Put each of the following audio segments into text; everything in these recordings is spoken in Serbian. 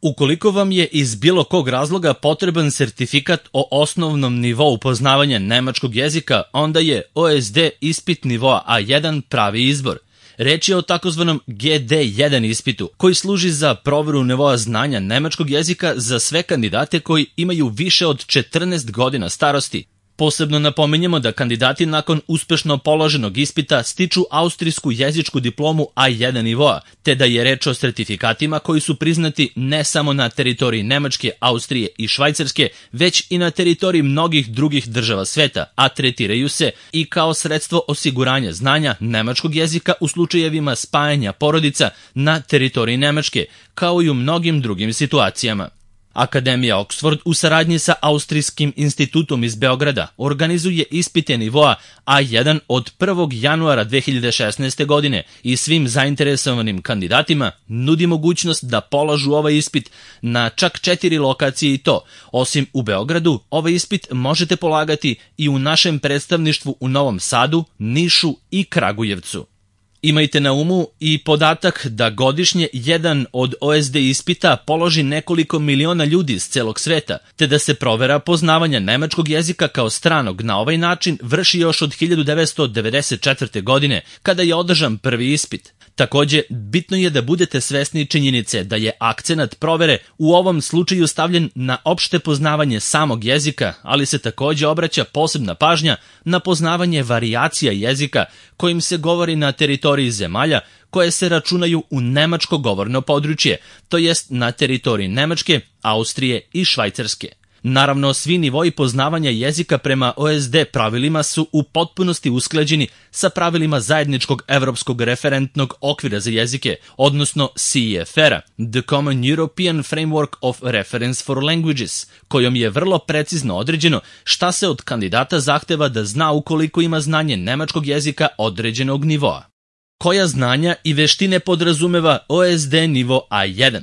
Ukoliko vam je iz bilo kog razloga potreban sertifikat o osnovnom nivou poznavanja nemačkog jezika, onda je OSD ispit nivoa A1 pravi izbor. Reč je o takozvanom GD1 ispitu, koji služi za proveru nivoa znanja nemačkog jezika za sve kandidate koji imaju više od 14 godina starosti. Posebno napominjemo da kandidati nakon uspešno položenog ispita stiču austrijsku jezičku diplomu A1 nivoa, te da je reč o sertifikatima koji su priznati ne samo na teritoriji Nemačke, Austrije i Švajcarske, već i na teritoriji mnogih drugih država sveta, a tretiraju se i kao sredstvo osiguranja znanja nemačkog jezika u slučajevima spajanja porodica na teritoriji Nemačke, kao i u mnogim drugim situacijama. Akademija Oxford u saradnji sa Austrijskim institutom iz Beograda organizuje ispite nivoa A1 od 1. januara 2016. godine i svim zainteresovanim kandidatima nudi mogućnost da polažu ovaj ispit na čak 4 lokacije i to. Osim u Beogradu, ovaj ispit možete polagati i u našem predstavništvu u Novom Sadu, Nišu i Kragujevcu. Imajte na umu i podatak da godišnje jedan od OSD ispita položi nekoliko miliona ljudi iz celog sveta, te da se provera poznavanja nemačkog jezika kao stranog na ovaj način vrši još od 1994. godine, kada je održan prvi ispit. Takođe, bitno je da budete svesni činjenice da je akcenat provere u ovom slučaju stavljen na opšte poznavanje samog jezika, ali se takođe obraća posebna pažnja na poznavanje varijacija jezika kojim se govori na teritoriji zemalja koje se računaju u nemačko govorno područje, to jest na teritoriji Nemačke, Austrije i Švajcarske. Naravno, svi nivoi poznavanja jezika prema OSD pravilima su u potpunosti usklađeni sa pravilima zajedničkog evropskog referentnog okvira za jezike, odnosno CEFR-a, The Common European Framework of Reference for Languages, kojom je vrlo precizno određeno šta se od kandidata zahteva da zna ukoliko ima znanje nemačkog jezika određenog nivoa. Koja znanja i veštine podrazumeva OSD nivo A1?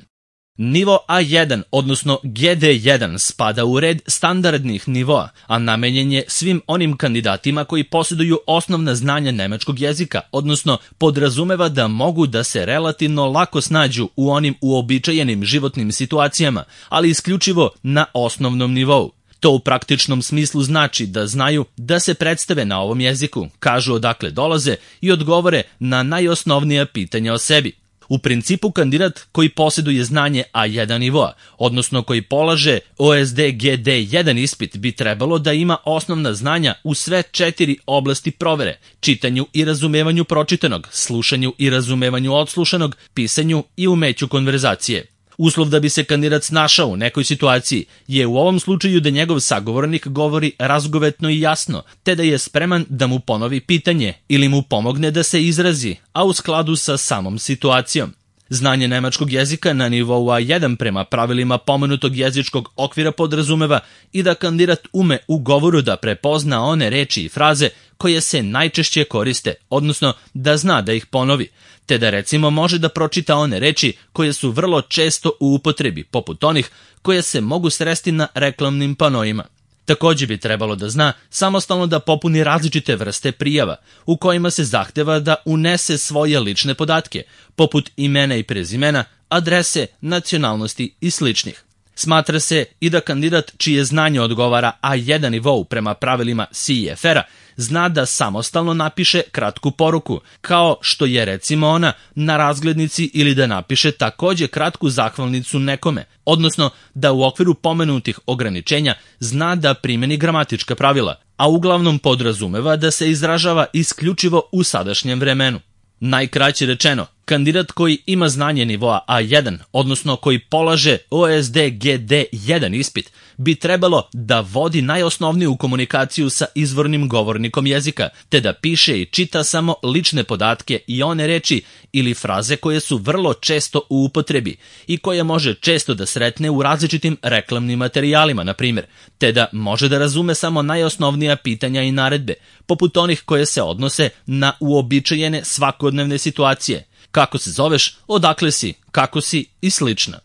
Nivo A1, odnosno GD1, spada u red standardnih nivoa, a namenjen je svim onim kandidatima koji posjeduju osnovna znanja nemačkog jezika, odnosno podrazumeva da mogu da se relativno lako snađu u onim uobičajenim životnim situacijama, ali isključivo na osnovnom nivou. To u praktičnom smislu znači da znaju da se predstave na ovom jeziku, kažu odakle dolaze i odgovore na najosnovnija pitanja o sebi. U principu, kandidat koji posjeduje znanje A1 nivoa, odnosno koji polaže OSD GD1 ispit, bi trebalo da ima osnovna znanja u sve 4 oblasti provere: čitanju i razumevanju pročitanog, slušanju i razumevanju odslušanog, pisanju i umeću konverzacije. Uslov da bi se kandidat snašao u nekoj situaciji je u ovom slučaju da njegov sagovornik govori razgovetno i jasno, te da je spreman da mu ponovi pitanje ili mu pomogne da se izrazi, a u skladu sa samom situacijom. Znanje nemačkog jezika na nivou A1 prema pravilima pomenutog jezičkog okvira podrazumeva i da kandidat ume u govoru da prepozna one reči i fraze koje se najčešće koriste, odnosno da zna da ih ponovi, te da recimo može da pročita one reči koje su vrlo često u upotrebi, poput onih koje se mogu sresti na reklamnim panoima. Takođe bi trebalo da zna samostalno da popuni različite vrste prijava, u kojima se zahteva da unese svoje lične podatke, poput imena i prezimena, adrese, nacionalnosti i sličnih. Smatra se i da kandidat čije znanje odgovara A1 nivou prema pravilima CEFR-a zna da samostalno napiše kratku poruku, kao što je recimo ona na razglednici, ili da napiše takođe kratku zahvalnicu nekome, odnosno da u okviru pomenutih ograničenja zna da primeni gramatička pravila, a uglavnom podrazumeva da se izražava isključivo u sadašnjem vremenu. Najkraće rečeno, kandidat koji ima znanje nivoa A1, odnosno koji polaže OSD GD1 ispit, bi trebalo da vodi najosnovniju komunikaciju sa izvornim govornikom jezika, te da piše i čita samo lične podatke i one reči ili fraze koje su vrlo često u upotrebi i koje može često da sretne u različitim reklamnim materijalima, na primjer, te da može da razume samo najosnovnija pitanja i naredbe, poput onih koje se odnose na uobičajene svakodnevne situacije. Kako se zoveš, odakle si, kako si i slično.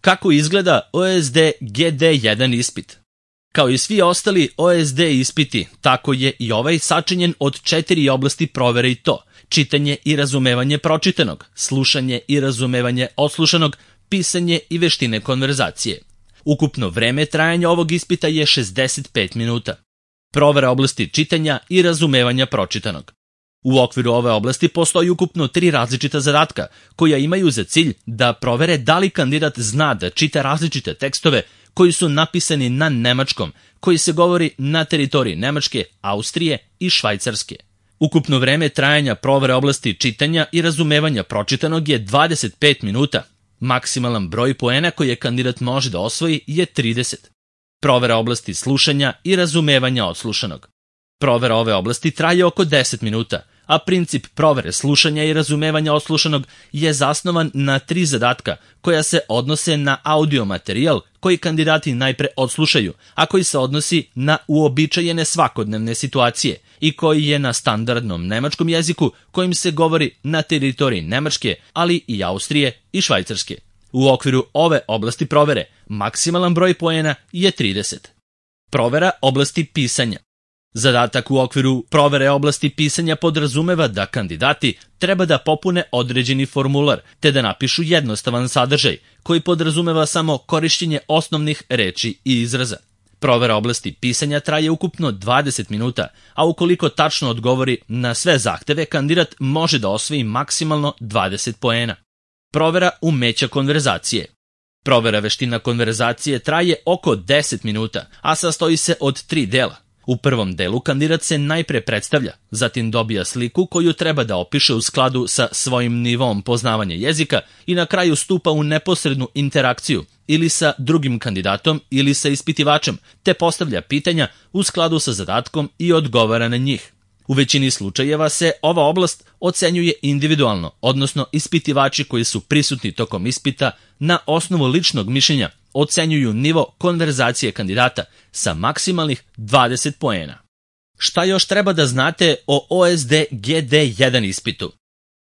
Kako izgleda OSD GD1 ispit? Kao i svi ostali OSD ispiti, tako je i ovaj sačinjen od 4 oblasti provere i to: čitanje i razumevanje pročitanog, slušanje i razumevanje odslušanog, pisanje i veštine konverzacije. Ukupno vreme trajanja ovog ispita je 65 minuta. Provera oblasti čitanja i razumevanja pročitanog. U okviru ove oblasti postoji ukupno 3 različita zadatka koja imaju za cilj da provere da li kandidat zna da čita različite tekstove koji su napisani na nemačkom, koji se govori na teritoriji Nemačke, Austrije i Švajcarske. Ukupno vreme trajanja provere oblasti čitanja i razumevanja pročitanog je 25 minuta. Maksimalan broj poena koje kandidat može da osvoji je 30. Provera oblasti slušanja i razumevanja odslušanog. Provera ove oblasti traje oko 10 minuta, a princip provere slušanja i razumevanja odslušanog je zasnovan na 3 zadatka koja se odnose na audio materijal koji kandidati najpre odslušaju, a koji se odnosi na uobičajene svakodnevne situacije i koji je na standardnom nemačkom jeziku kojim se govori na teritoriji Nemačke, ali i Austrije i Švajcarske. U okviru ove oblasti provere maksimalan broj poena je 30. Provera oblasti pisanja. Zadatak u okviru provere oblasti pisanja podrazumeva da kandidati treba da popune određeni formular te da napišu jednostavan sadržaj koji podrazumeva samo korišćenje osnovnih reči i izraza. Provera oblasti pisanja traje ukupno 20 minuta, a ukoliko tačno odgovori na sve zahteve, kandidat može da osvoji maksimalno 20 poena. Provera umeća konverzacije. Provera veština konverzacije traje oko 10 minuta, a sastoji se od 3 dela. U prvom delu kandidat se najpre predstavlja, zatim dobija sliku koju treba da opiše u skladu sa svojim nivom poznavanja jezika i na kraju stupa u neposrednu interakciju ili sa drugim kandidatom ili sa ispitivačem, te postavlja pitanja u skladu sa zadatkom i odgovara na njih. U većini slučajeva se ova oblast ocenjuje individualno, odnosno ispitivači koji su prisutni tokom ispita na osnovu ličnog mišljenja ocenjuju nivo konverzacije kandidata sa maksimalnih 20 poena. Šta još treba da znate o OSD GD1 ispitu?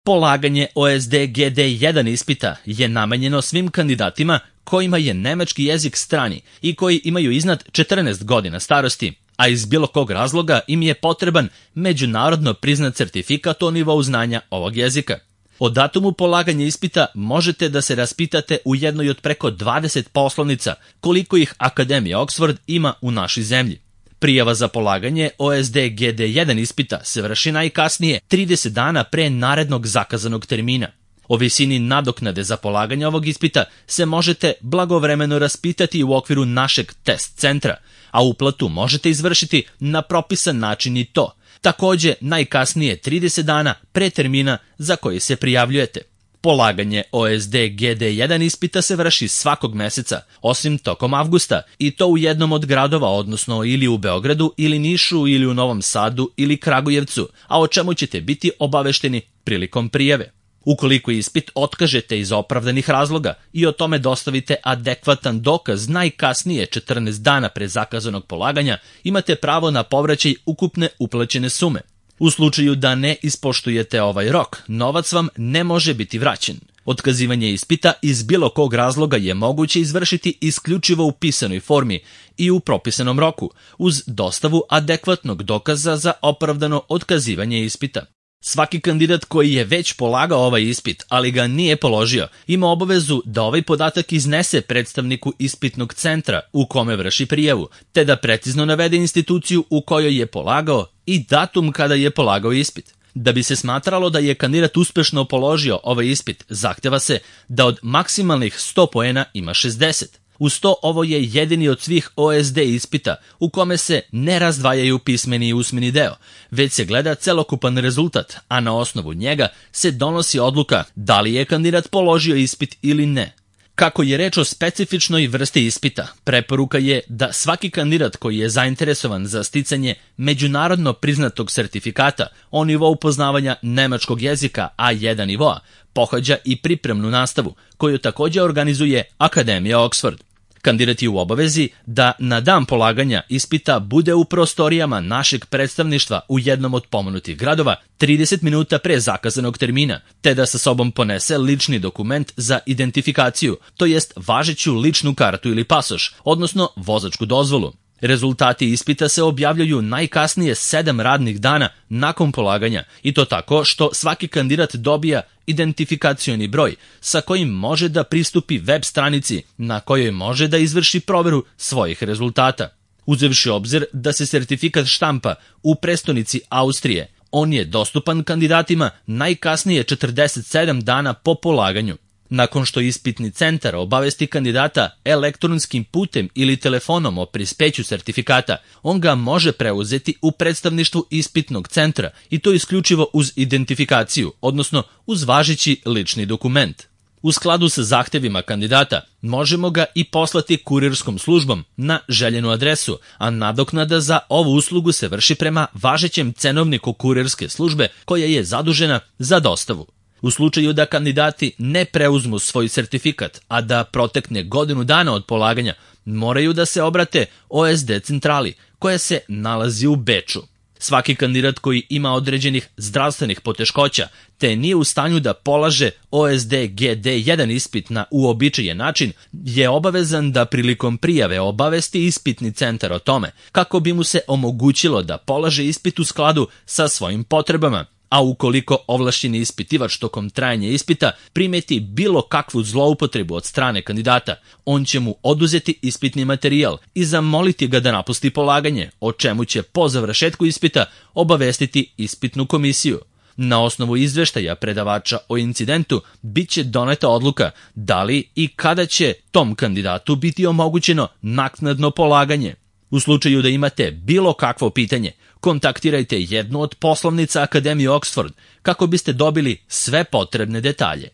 Polaganje OSD GD1 ispita je namenjeno svim kandidatima kojima je nemački jezik strani i koji imaju iznad 14 godina starosti, a iz bilo kog razloga im je potreban međunarodno priznat certifikat o nivou znanja ovog jezika. O datumu polaganja ispita možete da se raspitate u jednoj od preko 20 poslovnica koliko ih Akademija Oxford ima u našoj zemlji. Prijava za polaganje OSD GD1 ispita se vrši najkasnije 30 dana pre narednog zakazanog termina. O visini nadoknade za polaganje ovog ispita se možete blagovremeno raspitati u okviru našeg test centra, a uplatu možete izvršiti na propisan način i to, takođe najkasnije 30 dana pre termina za koji se prijavljujete. Polaganje OSD GD1 ispita se vrši svakog meseca, osim tokom avgusta, i to u jednom od gradova, odnosno ili u Beogradu, ili Nišu, ili u Novom Sadu, ili Kragujevcu, a o čemu ćete biti obavešteni prilikom prijave. Ukoliko ispit otkažete iz opravdanih razloga i o tome dostavite adekvatan dokaz najkasnije 14 dana pre zakazanog polaganja, imate pravo na povraćaj ukupne uplaćene sume. U slučaju da ne ispoštujete ovaj rok, novac vam ne može biti vraćen. Otkazivanje ispita iz bilo kog razloga je moguće izvršiti isključivo u pisanoj formi i u propisanom roku, uz dostavu adekvatnog dokaza za opravdano otkazivanje ispita. Svaki kandidat koji je već polagao ovaj ispit, ali ga nije položio, ima obavezu da ovaj podatak iznese predstavniku ispitnog centra u kome vrši prijavu, te da precizno navede instituciju u kojoj je polagao i datum kada je polagao ispit. Da bi se smatralo da je kandidat uspešno položio ovaj ispit, zahteva se da od maksimalnih 100 poena ima 60. Uz to, ovo je jedini od svih OSD ispita u kome se ne razdvajaju pismeni i usmeni deo, već se gleda celokupan rezultat, a na osnovu njega se donosi odluka da li je kandidat položio ispit ili ne. Kako je reč o specifičnoj vrsti ispita, preporuka je da svaki kandidat koji je zainteresovan za sticanje međunarodno priznatog sertifikata o nivou poznavanja nemačkog jezika A1 nivoa pohađa i pripremnu nastavu, koju takođe organizuje Akademija Oxford. Kandidat je u obavezi da na dan polaganja ispita bude u prostorijama našeg predstavništva u jednom od pomenutih gradova 30 minuta pre zakazanog termina, te da sa sobom ponese lični dokument za identifikaciju, to jest važeću ličnu kartu ili pasoš, odnosno vozačku dozvolu. Rezultati ispita se objavljuju najkasnije 7 radnih dana nakon polaganja, i to tako što svaki kandidat dobija identifikacioni broj sa kojim može da pristupi web stranici na kojoj može da izvrši proveru svojih rezultata. Uzevši obzir da se sertifikat štampa u prestonici Austrije, on je dostupan kandidatima najkasnije 47 dana po polaganju. Nakon što ispitni centar obavesti kandidata elektronskim putem ili telefonom o prispeću sertifikata, on ga može preuzeti u predstavništvu ispitnog centra i to isključivo uz identifikaciju, odnosno uz važeći lični dokument. U skladu sa zahtevima kandidata možemo ga i poslati kurirskom službom na željenu adresu, a nadoknada za ovu uslugu se vrši prema važećem cenovniku kurirske službe koja je zadužena za dostavu. U slučaju da kandidati ne preuzmu svoj sertifikat, a da protekne godinu dana od polaganja, moraju da se obrate OSD centrali, koja se nalazi u Beču. Svaki kandidat koji ima određenih zdravstvenih poteškoća, te nije u stanju da polaže OSD GD1 ispit na uobičajen način, je obavezan da prilikom prijave obavesti ispitni centar o tome, kako bi mu se omogućilo da polaže ispit u skladu sa svojim potrebama. A ukoliko ovlašćeni ispitivač tokom trajanja ispita primeti bilo kakvu zloupotrebu od strane kandidata, on će mu oduzeti ispitni materijal i zamoliti ga da napusti polaganje, o čemu će po završetku ispita obavestiti ispitnu komisiju. Na osnovu izveštaja predavača o incidentu bit će doneta odluka da li i kada će tom kandidatu biti omogućeno naknadno polaganje. U slučaju da imate bilo kakvo pitanje, kontaktirajte jednu od poslovnica Akademije Oxford kako biste dobili sve potrebne detalje.